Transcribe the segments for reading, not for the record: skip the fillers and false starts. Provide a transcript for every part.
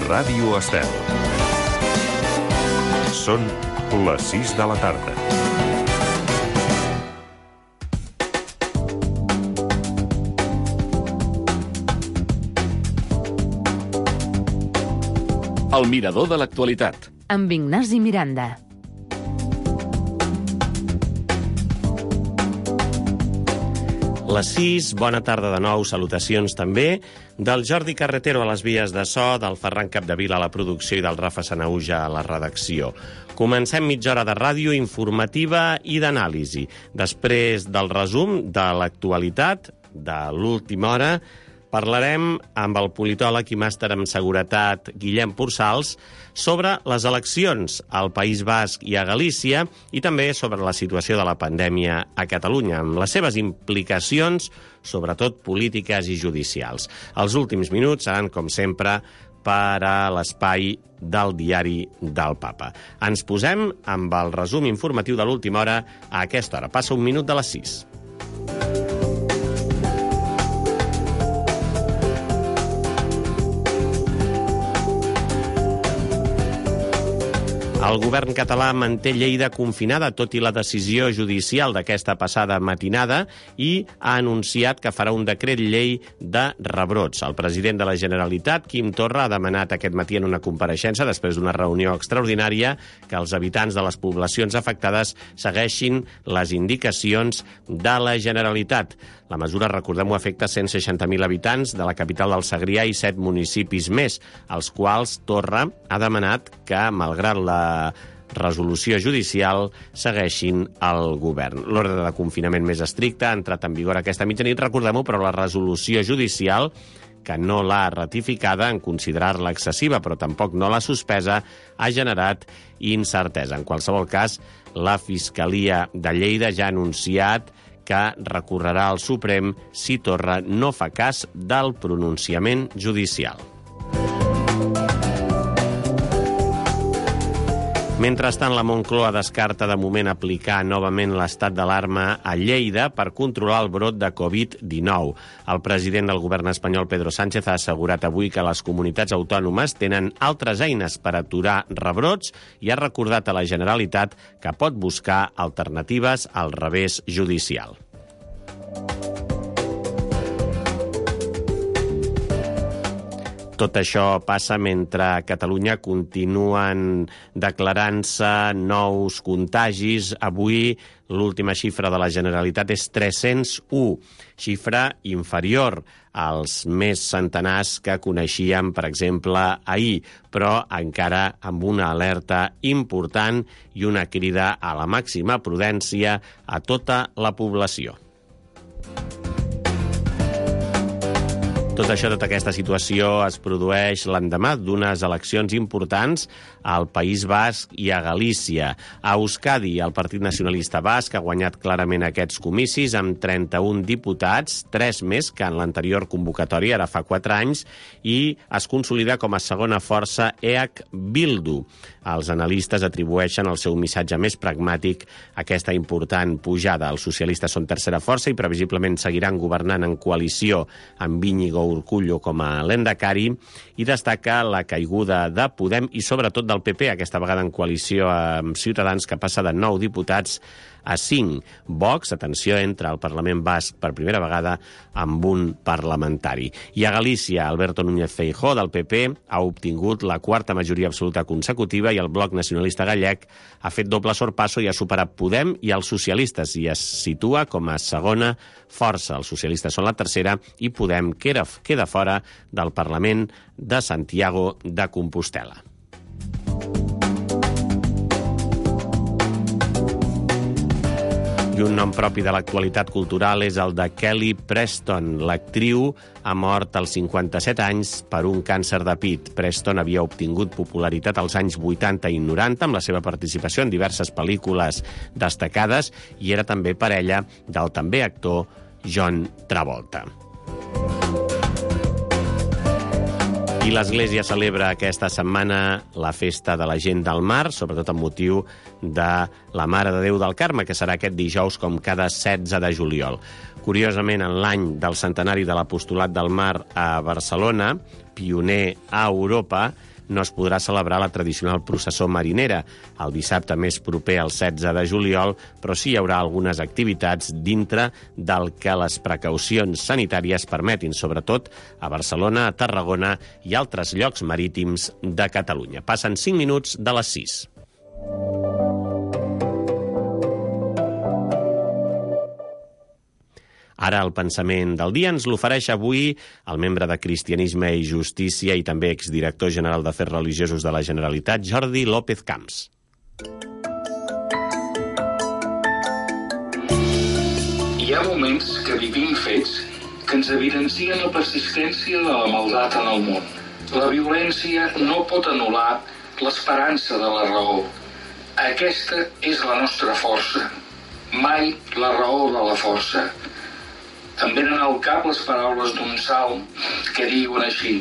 Ràdio Estel. Són les 6 de la tarda. El mirador de l'actualitat. Amb Ignasi Miranda. Les 6, bona tarda de nou, salutacions també, del Jordi Carretero a les vies de so, del Ferran Capdevila a la producció i del Rafa Sanauja a la redacció. Comencem mitja hora de ràdio informativa i d'anàlisi. Després del resum de l'actualitat, de l'última hora, parlarem amb el politòleg i màster en seguretat Guillem Pursals sobre les eleccions al País Basc i a Galícia i també sobre la situació de la pandèmia a Catalunya, amb les seves implicacions, sobretot polítiques i judicials. Els últims minuts seran, com sempre, per a l'espai del diari del Papa. Ens posem amb el resum informatiu de l'última hora a aquesta hora. Passa un minut de les 6. El govern català manté Lleida confinada, tot i la decisió judicial d'aquesta passada matinada, i ha anunciat que farà un decret llei de rebrots. El president de la Generalitat, Quim Torra, ha demanat aquest matí en una compareixença, després d'una reunió extraordinària, que els habitants de les poblacions afectades segueixin les indicacions de la Generalitat. La mesura, recordem-ho, afecta 160.000 habitants de la capital del Segrià i 7 municipis més, als quals Torra ha demanat que, malgrat la resolució judicial, segueixin el govern. L'ordre de confinament més estricte ha entrat en vigor aquesta mitjanit, recordem-ho, però la resolució judicial, que no l'ha ratificada en considerar-la excessiva, però tampoc no l'ha suspesa, ha generat incertesa. En qualsevol cas, la Fiscalia de Lleida ja ha anunciat que recorrerà al Suprem si Torra no fa cas del pronunciament judicial. Mentrestant, la Moncloa descarta de moment aplicar novament l'estat d'alarma a Lleida per controlar el brot de Covid-19. El president del govern espanyol, Pedro Sánchez, ha assegurat avui que les comunitats autònomes tenen altres eines per aturar rebrots i ha recordat a la Generalitat que pot buscar alternatives al revés judicial. Tot això passa mentre a Catalunya continuen declarant-se nous contagis. Avui l'última xifra de la Generalitat és 301, xifra inferior als més centenars que coneixíem, per exemple, ahir, però encara amb una alerta important i una crida a la màxima prudència a tota la població. Tot això, tota aquesta situació es produeix l'endemà d'unes eleccions importants al País Basc i a Galícia. A Euskadi, el Partit Nacionalista Basc ha guanyat clarament aquests comicis amb 31 diputats, 3 més que en l'anterior convocatòria, ara fa 4 anys, i es consolida com a segona força EH Bildu. Els analistes atribueixen el seu missatge més pragmàtic a aquesta important pujada. Els socialistes són tercera força i previsiblement seguiran governant en coalició amb Íñigo Urkullu com a l'endacari, i destaca la caiguda de Podem i sobretot del PP, aquesta vegada en coalició amb Ciutadans, que passa de 9 diputats a 5. Vox, atenció, entra al Parlament Basc per primera vegada amb un parlamentari. I a Galícia, Alberto Núñez Feijóo, del PP, ha obtingut la quarta majoria absoluta consecutiva i el Bloc Nacionalista Gallec ha fet doble sorpasso i ha superat Podem i els socialistes i es situa com a segona força. Els socialistes són la tercera i Podem queda fora del Parlament de Santiago de Compostela. I un nom propi de l'actualitat cultural és el de Kelly Preston. L'actriu ha mort als 57 anys per un càncer de pit. Preston havia obtingut popularitat als anys 80 i 90 amb la seva participació en diverses pel·lícules destacades i era també parella del també actor John Travolta. I l'Església celebra aquesta setmana la festa de la Gent del Mar, sobretot amb motiu de la Mare de Déu del Carme, que serà aquest dijous com cada 16 de juliol. Curiosament, en l'any del centenari de l'Apostolat del Mar a Barcelona, pioner a Europa, no es podrà celebrar la tradicional processó marinera. El dissabte més proper al 16 de juliol, però sí hi haurà algunes activitats dintre del que les precaucions sanitàries permetin, sobretot a Barcelona, a Tarragona i altres llocs marítims de Catalunya. Passen 5 minuts de les 6. Ara el pensament del dia ens l'ofereix avui el membre de Cristianisme i Justícia i també exdirector general d'Afers Religiosos de la Generalitat, Jordi López Camps. Hi ha moments que vivim fets que ens evidencien la persistència de la maldat en el món. La violència no pot anul·lar l'esperança de la raó. Aquesta és la nostra força, mai la raó de la força. Em venen al cap les paraules d'un salm que diuen així: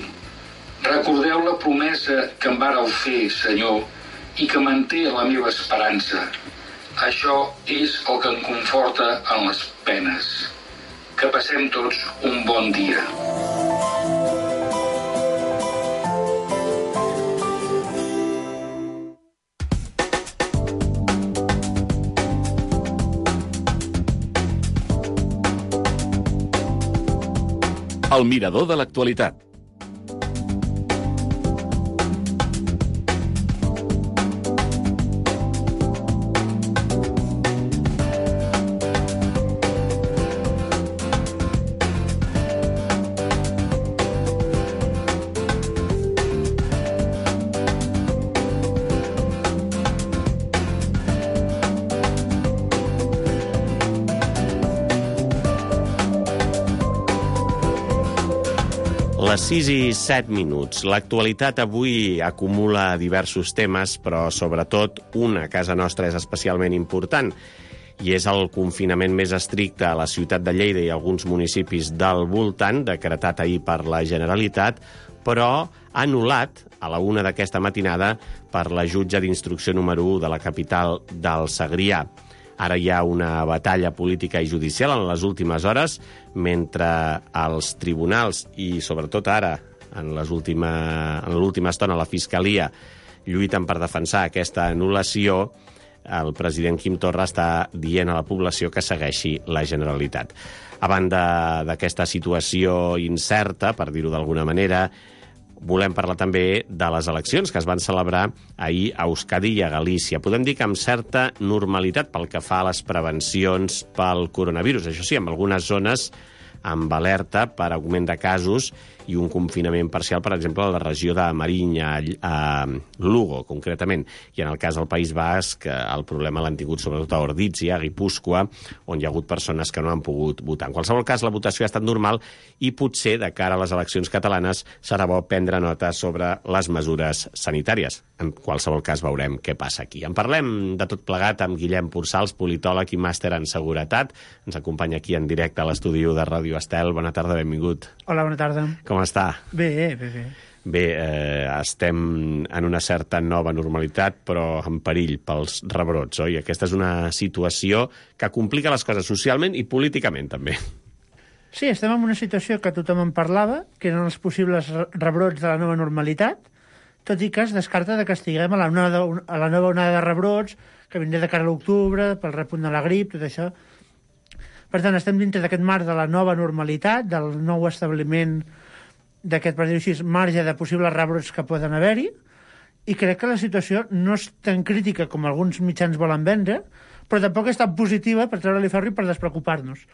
recordeu la promesa que em vareu fer, Senyor, i que manté la meva esperança. Això és el que em conforta en les penes. Que passem tots un bon dia. El mirador de l'actualitat. Les 6 i 7 minuts. L'actualitat avui acumula diversos temes, però sobretot una a casa nostra és especialment important, i és el confinament més estricte a la ciutat de Lleida i alguns municipis del voltant, decretat ahir per la Generalitat, però anul·lat a la 1 d'aquesta matinada per la jutge d'instrucció número 1 de la capital del Segrià. Ara hi ha una batalla política i judicial en les últimes hores, mentre els tribunals i, sobretot ara, en l'última estona, la Fiscalia lluiten per defensar aquesta anul·lació, el president Quim Torra està dient a la població que segueixi la Generalitat. A banda d'aquesta situació incerta, per dir-ho d'alguna manera, volem parlar també de les eleccions que es van celebrar ahir a Euskadi i a Galícia. Podem dir que amb certa normalitat pel que fa a les prevencions pel coronavirus. Això sí, en algunes zones amb alerta per augment de casos i un confinament parcial, per exemple, a la regió de Marinya, a Lugo, concretament. I en el cas del País Basc, el problema l'han tingut sobretot a Ordizia, a Guipúscoa, on hi ha hagut persones que no han pogut votar. En qualsevol cas, la votació ha estat normal i potser, de cara a les eleccions catalanes, serà bo prendre nota sobre les mesures sanitàries. En qualsevol cas, veurem què passa aquí. En parlem de tot plegat amb Guillem Pursals, politòleg i màster en seguretat. Ens acompanya aquí en directe a l'estudi de Ràdio Estel. Bona tarda, benvingut. Hola, bona tarda. Com està? Bé. Bé, estem en una certa nova normalitat, però en perill pels rebrots, oi? Aquesta és una situació que complica les coses socialment i políticament, també. Sí, estem en una situació que tothom en parlava, que eren els possibles rebrots de la nova normalitat, tot i que es descarta que estiguem a la nova onada de rebrots, que vindrà de cara a l'octubre, pel repunt de la grip, tot això. Per tant, estem dintre d'aquest marc de la nova normalitat, del nou establiment d'aquest, per dir-ho així, marge de possibles rebrots que poden haver-hi, i crec que la situació no és tan crítica com alguns mitjans volen vendre, però tampoc és tan positiva per treure-li ferro i per despreocupar-nos.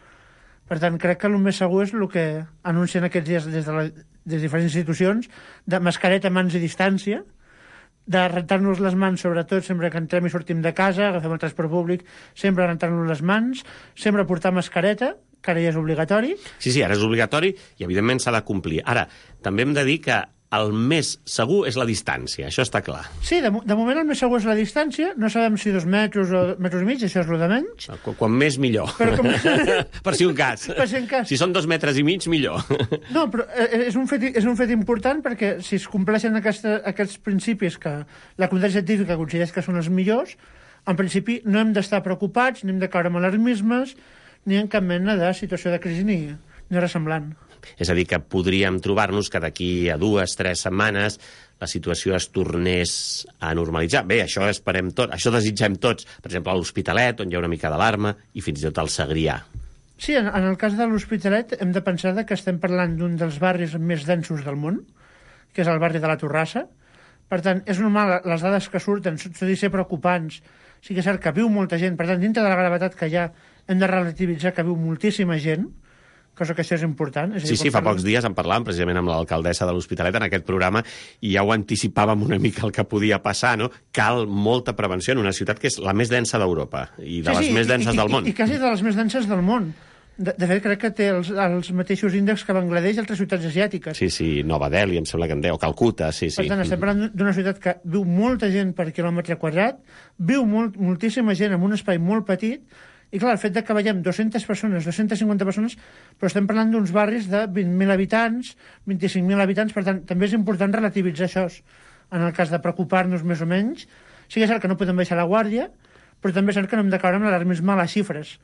Per tant, crec que el més segur és el que anuncien aquests dies des de diferents institucions, de mascareta, mans i distància, de rentar-nos les mans, sobretot, sempre que entrem i sortim de casa, agafem el transport públic, sempre rentar-nos les mans, sempre portar mascareta, que ara ja és obligatori. Sí, ara és obligatori i, evidentment, s'ha de complir. Ara, també hem de dir que el més segur és la distància, això està clar. Sí, de moment el més segur és la distància, no sabem si 2 metres o metres i mig, això és el de menys. Quan més, millor. Per si un cas. Per si un cas. Si són 2 metres i mig, millor. No, però és un fet important perquè si es compleixen aquests principis que la comunitat científica considera que són els millors, en principi no hem d'estar preocupats, ni hem de caure en alarmismes, ni en cap mena de situació de crisi ni res semblant. És a dir, que podríem trobar-nos que d'aquí a 2 o 3 setmanes la situació es tornés a normalitzar. Bé, això esperem tot, això desitgem tots. Per exemple, a l'Hospitalet, on hi ha una mica d'alarma, i fins i tot al Segrià. Sí, en el cas de l'Hospitalet hem de pensar que estem parlant d'un dels barris més densos del món, que és el barri de la Torrassa. Per tant, és normal, les dades que surten són de ser preocupants. Sí que és cert que viu molta gent, per tant, dintre de la gravetat que hi ha, hem de relativitzar que viu moltíssima gent, cosa que això és important. És a dir, Sí, fa pocs dies en parlàvem precisament amb l'alcaldessa de l'Hospitalet en aquest programa i ja ho anticipàvem una mica el que podia passar, no? Cal molta prevenció en una ciutat que és la més densa d'Europa i de les més denses del món. I quasi de les més denses del món. De fet, crec que té els mateixos índexs que Bangladesh i altres ciutats asiàtiques. Sí, Nova Delhi, em sembla que en deia, o Calcuta, sí. Per tant, estem parlant d'una ciutat que viu molta gent per quilòmetre quadrat, viu moltíssima gent en un espai molt petit, i clar, el fet que veiem 200 persones, 250 persones, però estem parlant d'uns barris de 20.000 habitants, 25.000 habitants, per tant, també és important relativitzar això, en el cas de preocupar-nos més o menys. Sí que és cert que no podem baixar la guàrdia, però també és cert que no hem de caure amb l'alarmisme a les xifres.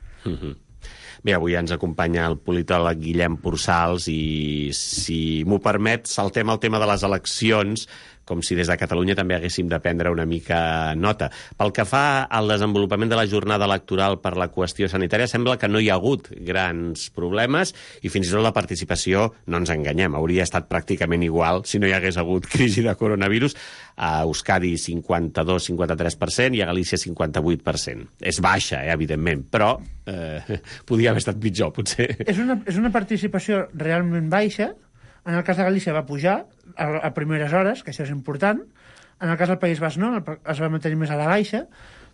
Bé, avui ens acompanya el politòleg Guillem Pursals i, si m'ho permet, saltem el tema de les eleccions, com si des de Catalunya també haguéssim de prendre una mica nota. Pel que fa al desenvolupament de la jornada electoral per la qüestió sanitària, sembla que no hi ha hagut grans problemes i fins i tot la participació, no ens enganyem, hauria estat pràcticament igual si no hi hagués hagut crisi de coronavirus. A Euskadi 52-53% i a Galícia 58%. És baixa, evidentment, però podia haver estat pitjor, potser. És una participació realment baixa. En el cas de Galícia va pujar a primeres hores, que això és important. En el cas del País Basc no, es va mantenir més a la baixa.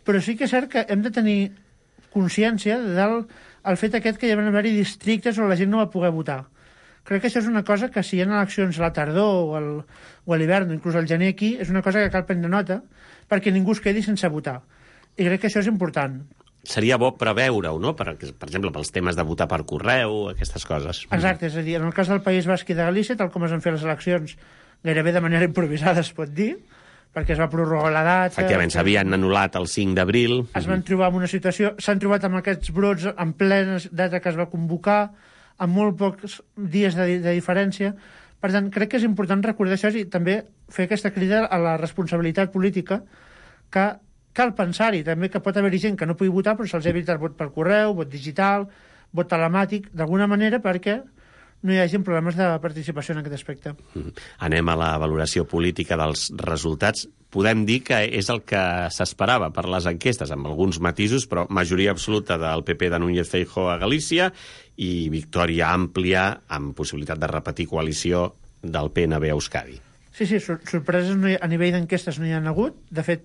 Però sí que és cert que hem de tenir consciència del fet aquest que hi van haver-hi districtes on la gent no va poder votar. Crec que això és una cosa que si hi ha eleccions a la tardor o a l'hivern, inclús al gener aquí, és una cosa que cal prendre nota perquè ningú es quedi sense votar. I crec que això és important. Seria bo preveure-ho, no? Per exemple, pels temes de votar per correu, aquestes coses. Exacte, és a dir, en el cas del País Basc i de Galícia, tal com es van fer les eleccions, gairebé de manera improvisada, es pot dir, perquè es va prorrogar la data... Efectivament, s'havien anul·lat el 5 d'abril. Es van trobar en una situació... S'han trobat amb aquests brots en plena data que es va convocar, amb molt pocs dies de diferència. Per tant, crec que és important recordar això i també fer aquesta crida a la responsabilitat política que cal pensar-hi, també que pot haver-hi gent que no pugui votar, però se'ls ha evitat vot per correu, vot digital, vot telemàtic, d'alguna manera perquè no hi hagi problemes de participació en aquest aspecte. Anem a la valoració política dels resultats. Podem dir que és el que s'esperava per les enquestes, amb alguns matisos, però majoria absoluta del PP de Núñez Feijóo a Galícia i victòria àmplia amb possibilitat de repetir coalició del PNB a Euskadi. Sí, sorpreses a nivell d'enquestes no hi ha hagut. De fet,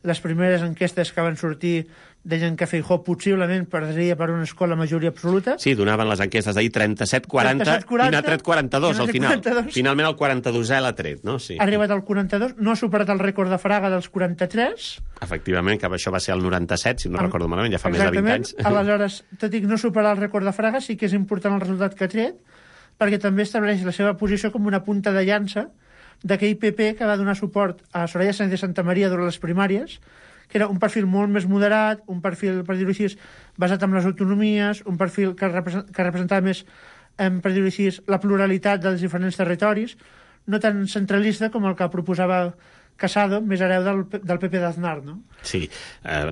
les primeres enquestes que van sortir deien que Feijóo possiblement perdria per una escola majoria absoluta. Sí, donaven les enquestes d'ahir 37-40 i n'ha tret 42 al final. 42. Finalment el 42è l'ha tret, no? Sí. Ha arribat al 42, no ha superat el rècord de Fraga dels 43. Efectivament, que això va ser el 97, si no recordo malament, ja fa més de 20 anys. Aleshores, tot i no superar el rècord de Fraga, sí que és important el resultat que ha tret, perquè també estableix la seva posició com una punta de llança d'aquell PP que va donar suport a Soraya Sáenz de Santamaría durant les primàries, que era un perfil molt més moderat, un perfil, per dir-ho així, basat en les autonomies, un perfil que representava més, per dir-ho així, la pluralitat dels diferents territoris, no tan centralista com el que proposava Casado, més hereu del PP d'Aznar, no? Sí,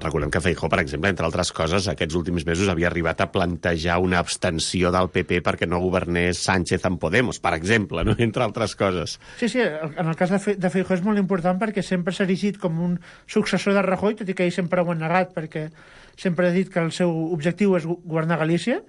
recordem que Feijóo, per exemple, entre altres coses, aquests últims mesos havia arribat a plantejar una abstenció del PP perquè no governés Sánchez amb Podemos, per exemple, no? Entre altres coses. Sí, en el cas de Feijóo és molt important perquè sempre s'ha erigit com un successor de Rajoy, tot i que ell sempre ho ha negat perquè sempre ha dit que el seu objectiu és governar Galícia,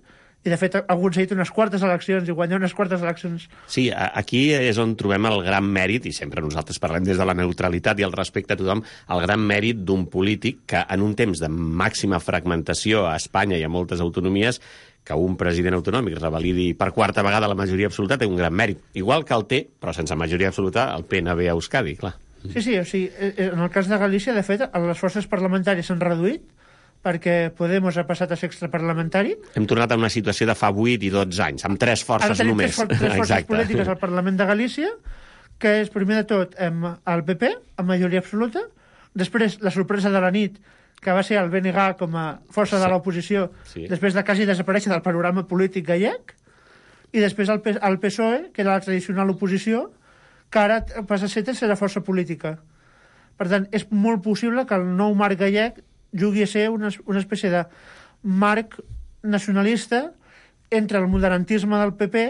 i de fet ha aconseguit unes quartes eleccions i guanyar unes quartes eleccions. Sí, aquí és on trobem el gran mèrit, i sempre nosaltres parlem des de la neutralitat i el respecte a tothom, el gran mèrit d'un polític que en un temps de màxima fragmentació a Espanya i a moltes autonomies, que un president autonòmic revalidi per quarta vegada la majoria absoluta té un gran mèrit. Igual que el té, però sense majoria absoluta, el PNB a Euskadi, clar. Sí, o sigui, en el cas de Galícia, de fet, les forces parlamentàries s'han reduït, perquè Podemos ha passat a ser extraparlamentari. Hem tornat a una situació de fa 8 i 12 anys, amb 3 forces només. Tres forces polítiques al Parlament de Galícia, que és, primer de tot, el PP, amb majoria absoluta, després la sorpresa de la nit, que va ser el BNG com a força de l'oposició, després de quasi desaparèixer del panorama polític gallec, i després el PSOE, que era la tradicional oposició, que ara passa a ser tercera força política. Per tant, és molt possible que el nou marc gallec jugui a ser una espècie de marc nacionalista entre el moderantisme del PP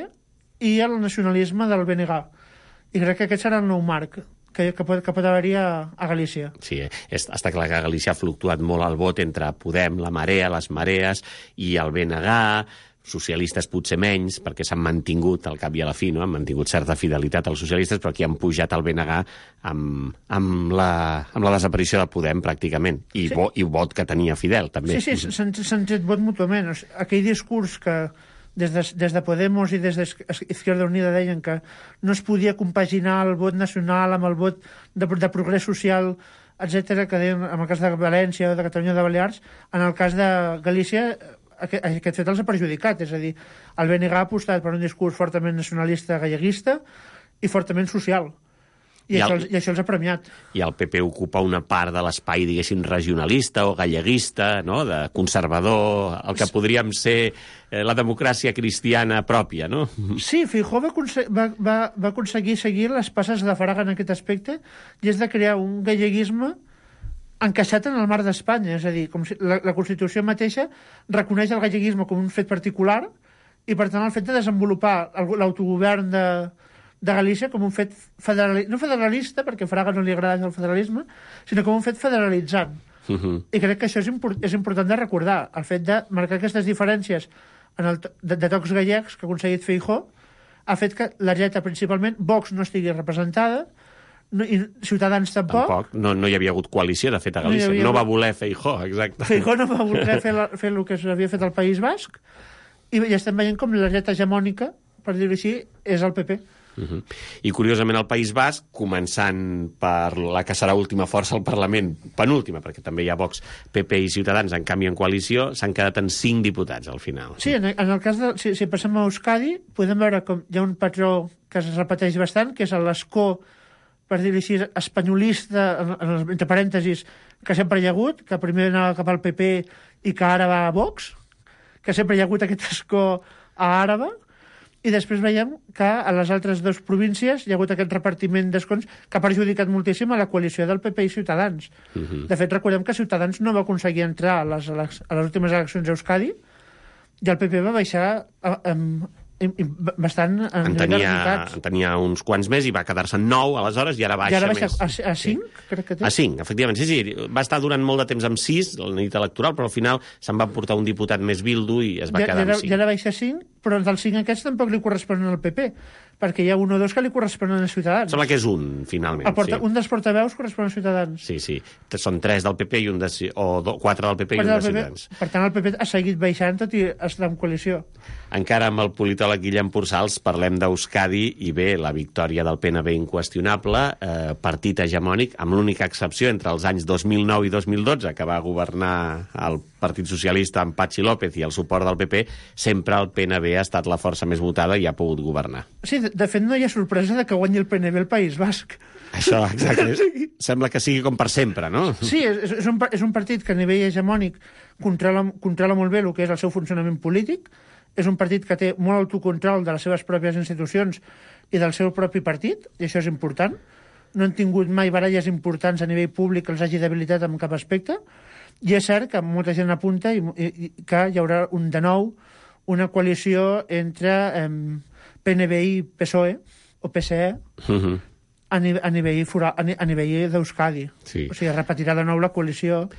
i el nacionalisme del BNG. I crec que aquest serà el nou marc que pot haver-hi a Galícia. Sí, està clar que a Galícia ha fluctuat molt el vot entre Podem, la Marea, les Marees i el BNG, socialistes potser menys, perquè s'han mantingut al cap i a la fi, no? Han mantingut certa fidelitat als socialistes, però aquí han pujat al BNG amb la desaparició de Podem, pràcticament. I vot que tenia Fidel, també. Sí, s'han tret vot mútuament. Aquell discurs que des de Podemos i des d'Izquierda Unida deien que no es podia compaginar el vot nacional amb el vot de progrés social, etc., que deien en el cas de València o de Catalunya o de Balears, en el cas de Galícia aquest fet els ha perjudicat, és a dir, el BNG ha apostat per un discurs fortament nacionalista galleguista i fortament social. I això els ha premiat. I el PP ocupa una part de l'espai, diguéssim, regionalista o galleguista, no?, de conservador, el que podríem ser la democràcia cristiana pròpia, no? Sí, Feijóo va aconseguir seguir les passes de Fraga en aquest aspecte, i és de crear un galleguisme encaixat en el marc d'Espanya, és a dir, com si la Constitució mateixa reconeix el galleguisme com un fet particular i, per tant, el fet de desenvolupar l'autogovern de Galícia com un fet no federalista, perquè a Fraga no li agrada el federalisme, sinó com un fet federalitzant. I crec que això és important de recordar, el fet de marcar aquestes diferències de tocs gallecs que ha aconseguit Feijóo ha fet que la dreta, principalment, Vox no estigui representada, i Ciutadans tampoc. No hi havia hagut coalició, de fet, a Galícia. No va voler Feijóo, exacte. Feijóo no va voler fer el que s'havia fet al País Basc, i ja estem veient com la dreta hegemònica, per dir-ho així, és el PP. I curiosament al País Basc, començant per la que serà última força al Parlament, penúltima, perquè també hi ha Vox, PP i Ciutadans, en canvi en coalició, s'han quedat en 5 diputats al final. Sí, en el cas de... Si passem a Euskadi, podem veure com hi ha un patró que es repeteix bastant, que és l'escó, per dir-ho així, espanyolista, entre parèntesis, que sempre hi ha hagut, que primer anava cap al PP i que ara va a Vox, que sempre hi ha hagut aquest escó a Àraba, i després veiem que a les altres dues províncies hi ha hagut aquest repartiment d'escons que ha perjudicat moltíssim a la coalició del PP i Ciutadans. De fet, recordem que Ciutadans no va aconseguir entrar a les últimes eleccions a Euskadi i el PP va baixar bastant en resultats. En tenia uns quants més i va quedar-se en 9, aleshores, i ara baixa més. A 5, crec que té. A 5, efectivament. Sí, va estar durant molt de temps amb 6, la nit electoral, però al final se'n va portar un diputat més Bildu i es va quedar amb 5. I ara baixa a 5, però dels 5 aquests tampoc li corresponen al PP, perquè hi ha un o dos que li corresponen a Ciutadans. Sembla que és un, finalment. Un dels portaveus correspon a Ciutadans. Sí. Són 3 del PP i 4 del PP i un de Ciutadans. Per tant, el PP ha seguit baixant tot i estar en coalició. Encara amb el politòleg Guillem Pursals parlem d'Euskadi i bé, la victòria del PNB inqüestionable, partit hegemònic, amb l'única excepció entre els anys 2009 i 2012, que va governar el Partit Socialista amb Patxi López i el suport del PP, sempre el PNB ha estat la força més votada i ha pogut governar. Sí, de fet no hi ha sorpresa de que guanyi el PNB al País Basc. Això, exacte. Sembla que sigui com per sempre, no? Sí, és un partit que a nivell hegemònic controla molt bé el que és el seu funcionament polític, és un partit que té molt autocontrol de les seves pròpies institucions i del seu propi partit, i això és important. No han tingut mai baralles importants a nivell públic que els hagi debilitat en cap aspecte, i és cert que molta gent apunta que hi haurà de nou una coalició entre PNB i PSOE, o PSE, a nivell d'Euskadi. Sí. O sigui, repetirà de nou la coalició.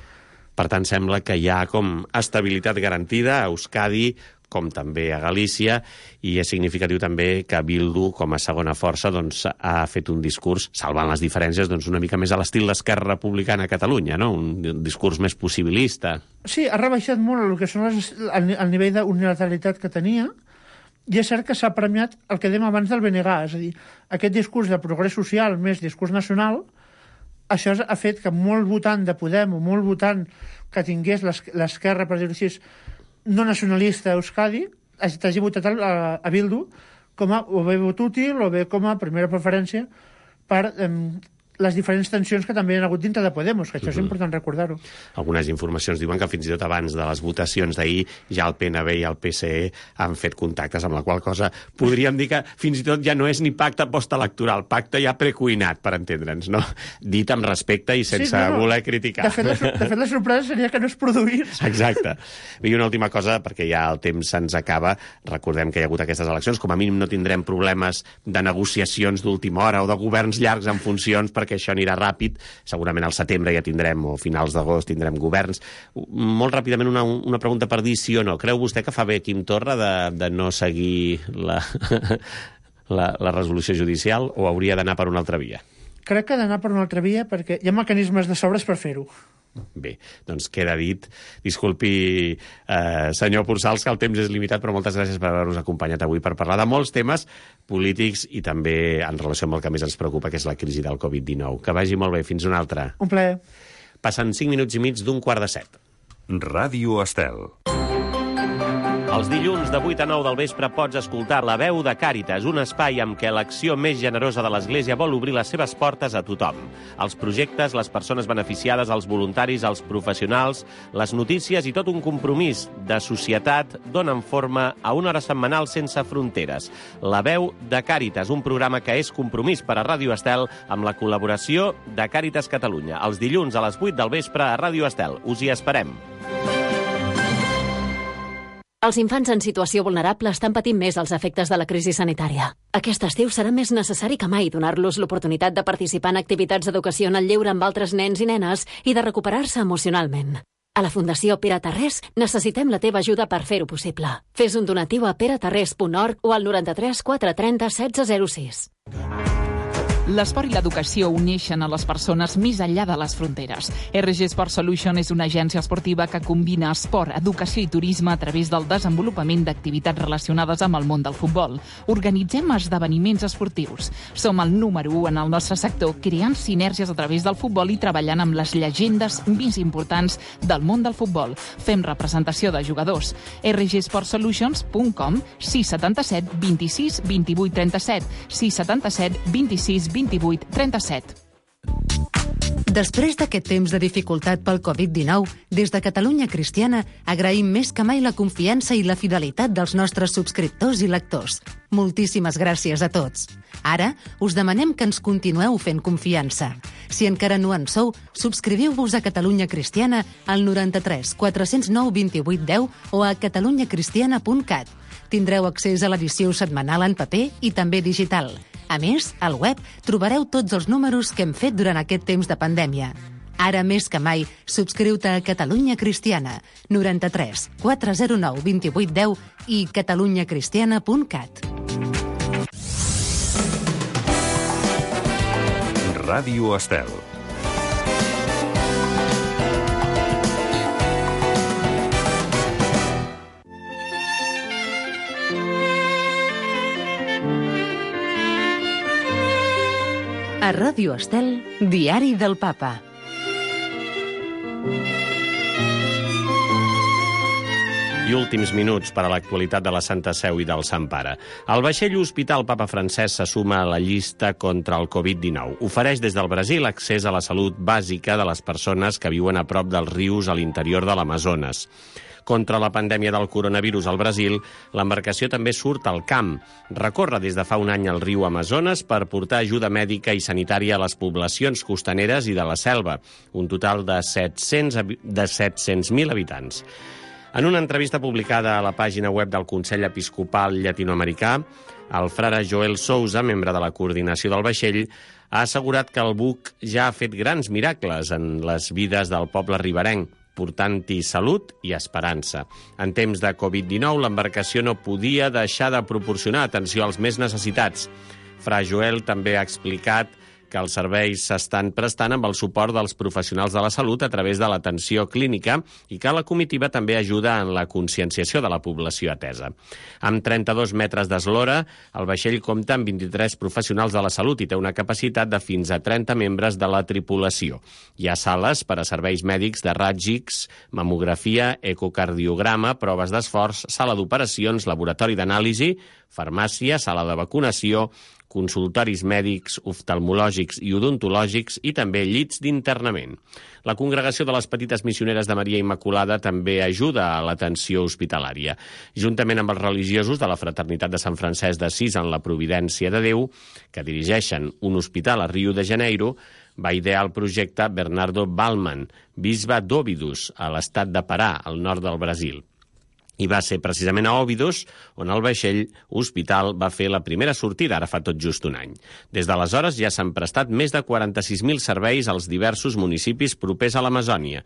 Per tant, sembla que hi ha com estabilitat garantida a Euskadi, com també a Galícia, i és significatiu també que Bildu, com a segona força, doncs, ha fet un discurs, salvant les diferències, doncs, una mica més a l'estil d'Esquerra Republicana a Catalunya, no? Un discurs més possibilista. Sí, ha rebaixat molt el que són el nivell d'unilateralitat que tenia, i és cert que s'ha premiat el que dèiem abans del BNG, és a dir, aquest discurs de progrés social més discurs nacional, això ha fet que molt votant de Podem o molt votant que tingués l'esquerra, per dir-ho així, no nacionalista a Euskadi, t'hagi votat a Bildu com a o bé vot útil o bé com a primera preferència per les diferents tensions que també hi ha hagut dintre de Podemos, que això és important recordar-ho. Algunes informacions diuen que fins i tot abans de les votacions d'ahir ja el PNB i el PSE han fet contactes, amb la qual cosa podríem dir que fins i tot ja no és ni pacte postelectoral, pacte ja precuinat, per entendre'ns, no? Dit amb respecte i sense voler criticar. De fet, la sorpresa seria que no es produís. Exacte. I una última cosa, perquè ja el temps se'ns acaba, recordem que hi ha hagut aquestes eleccions, com a mínim no tindrem problemes de negociacions d'última hora o de governs llargs en funcions, perquè això anirà ràpid. Segurament al setembre ja tindrem, o finals d'agost tindrem governs. Molt ràpidament una pregunta per dir sí o no. Creu vostè que fa bé Quim Torra de no seguir la resolució judicial o hauria d'anar per una altra via? Crec que ha d'anar per una altra via perquè hi ha mecanismes de sobres per fer-ho. Bé, doncs queda dit. Disculpi, senyor Pursals, que el temps és limitat, però moltes gràcies per haver-nos acompanyat avui per parlar de molts temes polítics i també en relació amb el que més ens preocupa, que és la crisi del Covid-19. Que vagi molt bé. Fins una altra. Un plaer. Passen 5 minuts i mig d'15:45. Ràdio Estel. Els dilluns de 8 a 9 del vespre pots escoltar La Veu de Càritas, un espai amb què l'acció més generosa de l'Església vol obrir les seves portes a tothom. Els projectes, les persones beneficiades, els voluntaris, els professionals, les notícies i tot un compromís de societat donen forma a una hora setmanal sense fronteres. La Veu de Càritas, un programa que és compromís per a Ràdio Estel amb la col·laboració de Càritas Catalunya. Els dilluns a les 8 del vespre a Ràdio Estel. Us hi esperem. Els infants en situació vulnerable estan patint més els efectes de la crisi sanitària. Aquest estiu serà més necessari que mai donar-los l'oportunitat de participar en activitats d'educació en el lleure amb altres nens i nenes i de recuperar-se emocionalment. A la Fundació Pere Tarrés necessitem la teva ajuda per fer-ho possible. Fes un donatiu a peretarrés.org o al 93 430 1606. L'esport i l'educació uneixen a les persones més enllà de les fronteres. RG Sport Solution és una agència esportiva que combina esport, educació i turisme a través del desenvolupament d'activitats relacionades amb el món del futbol. Organitzem esdeveniments esportius. Som el número 1 en el nostre sector, creant sinergies a través del futbol i treballant amb les llegendes més importants del món del futbol. Fem representació de jugadors. rgsportsolutions.com 677 26 28 37 677 26 28 37. Després d'aquest temps de dificultat pel Covid-19, des de Catalunya Cristiana agraïm més que mai la confiança i la fidelitat dels nostres subscriptors i lectors. Moltíssimes gràcies a tots. Ara us demanem que ens continueu fent confiança. Si encara no en sou, subscriviu-vos a Catalunya Cristiana al 93 409 28 10 o a catalunyacristiana.cat. Tindreu accés a l'edició setmanal en paper i també digital. A més, al web trobareu tots els números que hem fet durant aquest temps de pandèmia. Ara més que mai, subscriu-te a Catalunya Cristiana, 93 409 28 10 i catalunyacristiana.cat. Ràdio Estel. A Ràdio Estel, Diari del Papa. I últims minuts per a l'actualitat de la Santa Seu i del Sant Pare. El vaixell Hospital Papa Francesc se suma a la llista contra el Covid-19. Ofereix des del Brasil accés a la salut bàsica de les persones que viuen a prop dels rius a l'interior de l'Amazones. Contra la pandèmia del coronavirus al Brasil, l'embarcació també surt al camp. Recorre des de fa un any el riu Amazones per portar ajuda mèdica i sanitària a les poblacions costaneres i de la selva, un total de 700.000 habitants. En una entrevista publicada a la pàgina web del Consell Episcopal Llatinoamericà, el frare Joel Sousa, membre de la coordinació del vaixell, ha assegurat que el buc ja ha fet grans miracles en les vides del poble riberenc, portant-hi salut i esperança. En temps de Covid-19, l'embarcació no podia deixar de proporcionar atenció als més necessitats. Fra Joel també ha explicat que els serveis s'estan prestant amb el suport dels professionals de la salut a través de l'atenció clínica i que la comitiva també ajuda en la conscienciació de la població atesa. Amb 32 metres d'eslora, el vaixell compta amb 23 professionals de la salut i té una capacitat de fins a 30 membres de la tripulació. Hi ha sales per a serveis mèdics de ràgics, mamografia, ecocardiograma, proves d'esforç, sala d'operacions, laboratori d'anàlisi, farmàcia, sala de vacunació, consultoris mèdics, oftalmològics i odontològics i també llits d'internament. La Congregació de les Petites Missioneres de Maria Immaculada també ajuda a l'atenció hospitalària. Juntament amb els religiosos de la Fraternitat de Sant Francesc d'Assís en la Providència de Déu, que dirigeixen un hospital a Rio de Janeiro, va idear el projecte Bernardo Ballman, bisbe d'Óbidos, a l'estat de Pará, al nord del Brasil. I va ser precisament a Óbidos on el vaixell hospital va fer la primera sortida, ara fa tot just un any. Des d'aleshores ja s'han prestat més de 46.000 serveis als diversos municipis propers a l'Amazònia.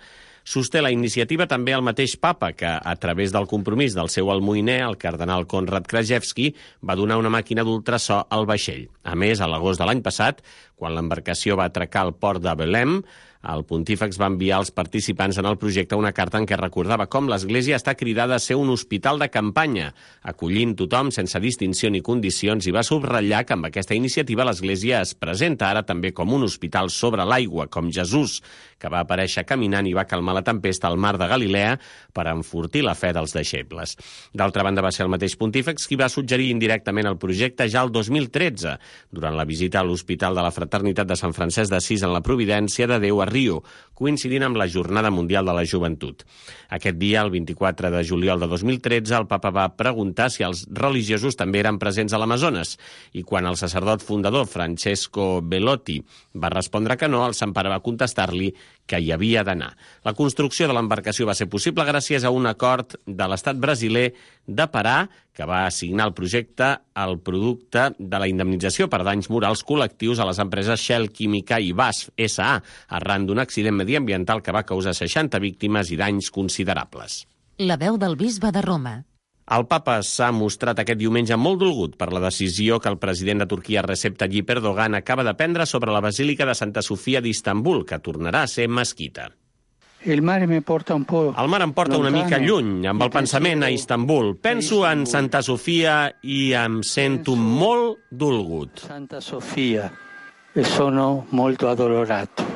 Sosté la iniciativa també el mateix papa, que, a través del compromís del seu almoiner, el cardenal Konrad Krajewski, va donar una màquina d'ultrasò al vaixell. A més, a l'agost de l'any passat, quan l'embarcació va atracar al port de Belém, el pontífex va enviar als participants en el projecte una carta en què recordava com l'Església està cridada a ser un hospital de campanya, acollint tothom sense distinció ni condicions, i va subratllar que amb aquesta iniciativa l'Església es presenta ara també com un hospital sobre l'aigua, com Jesús, que va aparèixer caminant i va calmar la tempesta al mar de Galilea per enfortir la fe dels deixebles. D'altra banda, va ser el mateix pontífex qui va suggerir indirectament el projecte ja el 2013, durant la visita a l'Hospital de la Fraternitat de Sant Francesc d'Assís en la Providència de Déu a Rio, coincidint amb la Jornada Mundial de la Joventut. Aquest dia, el 24 de juliol de 2013, el papa va preguntar si els religiosos també eren presents a l'Amazones, i quan el sacerdot fundador Francesco Bellotti va respondre que no, el Sant Pare va contestar-li que hi havia d'anar. La construcció de l'embarcació va ser possible gràcies a un acord de l'estat brasiler de Pará, que va assignar el projecte al producte de la indemnització per danys morals col·lectius a les empreses Shell Química i BASF S.A., arran d'un accident mediambiental que va causar 60 víctimes i danys considerables. La veu del bisbe de Roma. El papa s'ha mostrat aquest diumenge molt dolgut per la decisió que el president de Turquia, Recep Tayyip Erdogan, acaba de prendre sobre la Basílica de Santa Sofia d'Istanbul, que tornarà a ser mesquita. El mar em porta una mica lluny, amb el pensament a Istanbul. Penso en Santa Sofia i em sento molt dolgut. Santa Sofia, e sono molto addolorato.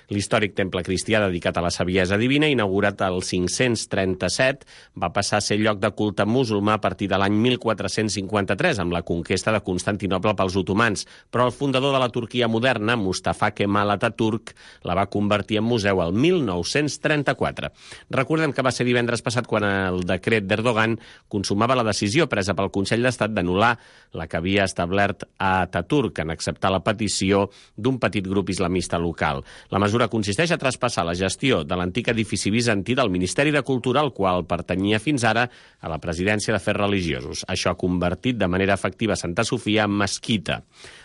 L'històric temple cristià dedicat a la saviesa divina, inaugurat al 537, va passar a ser lloc de culte musulmà a partir de l'any 1453, amb la conquesta de Constantinoble pels otomans, però el fundador de la Turquia moderna, Mustafa Kemal Atatürk, la va convertir en museu el 1934. Recordem que va ser divendres passat quan el decret d'Erdogan consumava la decisió presa pel Consell d'Estat d'anul·lar la que havia establert a Atatürk en acceptar la petició d'un petit grup islamista local. La mesura consisteix a traspassar la gestió de l'antic edifici bizantí del Ministeri de Cultura, al qual pertanyia fins ara a la Presidència d'Afers Religiosos. Això ha convertit de manera efectiva Santa Sofia en mesquita.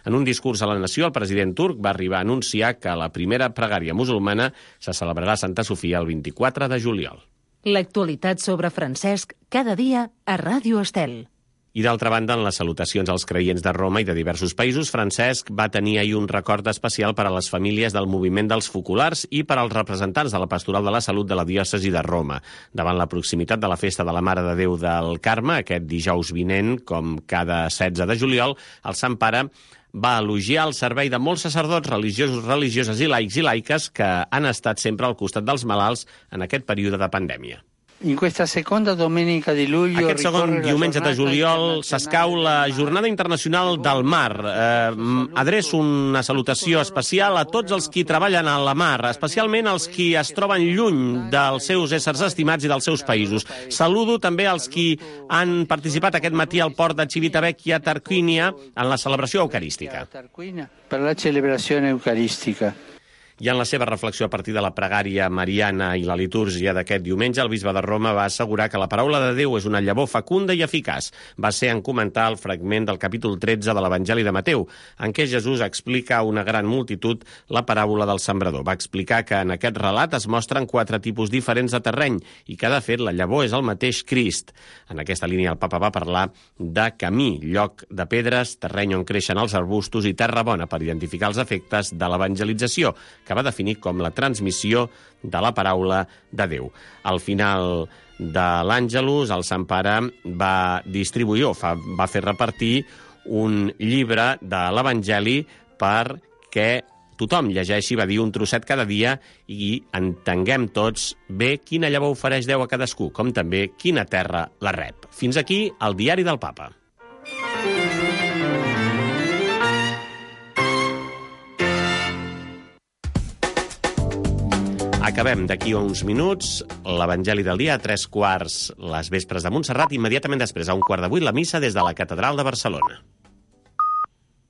En un discurs a la nació, el president turc va arribar a anunciar que la primera pregària musulmana se celebrarà a Santa Sofia el 24 de juliol. L'actualitat sobre Francesc, cada dia a Ràdio Estel. I d'altra banda, en les salutacions als creients de Roma i de diversos països, Francesc va tenir ahir un record especial per a les famílies del moviment dels focolars i per als representants de la Pastoral de la Salut de la diòcesi de Roma. Davant la proximitat de la festa de la Mare de Déu del Carme, aquest dijous vinent, com cada 16 de juliol, el Sant Pare va elogiar el servei de molts sacerdots, religiosos, religioses i laics i laiques que han estat sempre al costat dels malalts en aquest període de pandèmia. Aquest segon diumenge de juliol s'escau la Jornada Internacional del Mar. Adreço una salutació especial a tots els qui treballen a la mar, especialment als qui es troben lluny dels seus éssers estimats i dels seus països. Saludo també als qui han participat aquest matí al port de Civitavecchia, Tarquínia, en la celebració eucarística. Per la celebració eucarística. I en la seva reflexió a partir de la pregària mariana i la litúrgia d'aquest diumenge, el bisbe de Roma va assegurar que la paraula de Déu és una llavor fecunda i eficaç. Va ser en comentar el fragment del capítol 13 de l'Evangeli de Mateu, en què Jesús explica a una gran multitud la paràbola del sembrador. Va explicar que en aquest relat es mostren 4 tipus diferents de terreny i que, de fet, la llavor és el mateix Crist. En aquesta línia el papa va parlar de camí, lloc de pedres, terreny on creixen els arbustos i terra bona per identificar els efectes de l'evangelització, que va definir com la transmissió de la paraula de Déu. Al final de l'Àngelus, el Sant Pare va distribuir o va fer repartir un llibre de l'Evangeli perquè tothom llegeixi, va dir, un trosset cada dia i entenguem tots bé quina llavor ofereix Déu a cadascú, com també quina terra la rep. Fins aquí el Diari del Papa. Acabem d'aquí a uns minuts l'Evangeli del dia, a 3:15 les vespres de Montserrat, immediatament després, a 7:15, la missa des de la Catedral de Barcelona.